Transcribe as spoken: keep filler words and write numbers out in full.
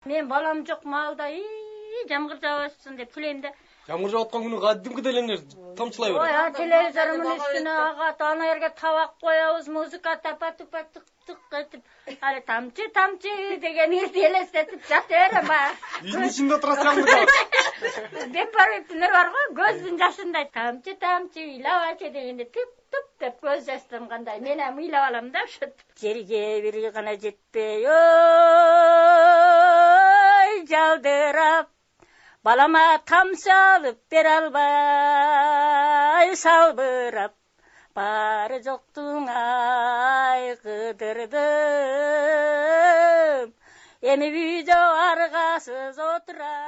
Мен балам жок маалда жамгыр жаабасын деп тилейм да. Жамгыр жаап аткан күнү кадимкидей эле эмне тамчылай берет. Ой, телевизордун үстүнө агат, ана жерге табак коебуз, музыка тапа-тупа тык-тык этип, али тамчы тамчы деген ирди элестетип жата берем баягы. Үйдүн ичинде отурасыз жамгыр жаап. Бепариптин бар го, көздүн жашындай тамчы тамчы ыйлабачы дегенде туп-туп деп көз жаш тамгандай. Мен эми ыйлап алам да ошентип. Жерге бир гана жетпей, ой, жалдырап балама тамчы алып бере албай салбырап, баары жоктуң айгыдырдым, эми үй жок аргасыз отурам.